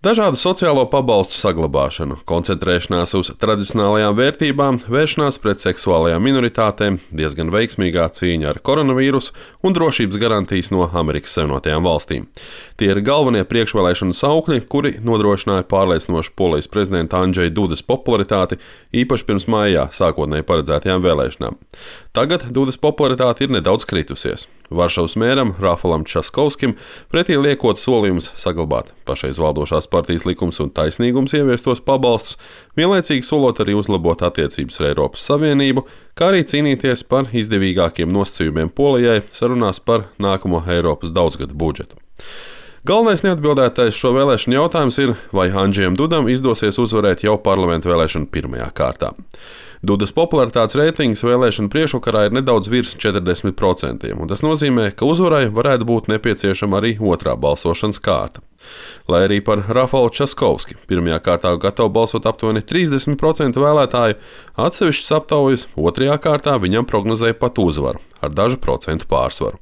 Dažādu sociālo pabalstu saglabāšanu, koncentrēšanās uz tradicionālajām vērtībām, vēršanās pret seksuālajām minoritātēm, diezgan veiksmīgā cīņa ar koronavīrusu un drošības garantijas no Amerikas Savienotajām valstīm. Tie ir galvenie priekšvēlēšanu saukļi, kuri nodrošināja pārliecinošu Polijas prezidenta Andžeja Dudas popularitāti, īpaši pirms maijā sākotnēji paredzētajām vēlēšanām. Tagad Dudas popularitāte ir nedaudz kritusies. Varšavas mēram Rafalam Časkovskim pretī liekot solījumus saglabāt pašreiz valdošās partijas Likums un taisnīgums ieviestos pabalstus, vienlaicīgi solot arī uzlabot attiecības ar Eiropas Savienību, kā arī cīnīties par izdevīgākiem nosacījumiem Polijai sarunās par nākamo Eiropas daudzgadu budžetu. Galvenais neatbildētais šo vēlēšanu jautājums ir, vai Andžejam Dudam izdosies uzvarēt jau parlamenta vēlēšanu pirmajā kārtā. Dudas popularitātes reitings vēlēšanu priekšvakarā ir nedaudz virs 40%, un tas nozīmē, ka uzvarai varētu būt nepieciešama arī otrā balsošanas kārta. Lai arī par Rafalu Časkovski pirmajā kārtā gatavo balsot aptuveni 30% vēlētāju, atsevišķas aptaujas otrajā kārtā viņam prognozēja pat uzvaru ar dažu procentu pārsvaru.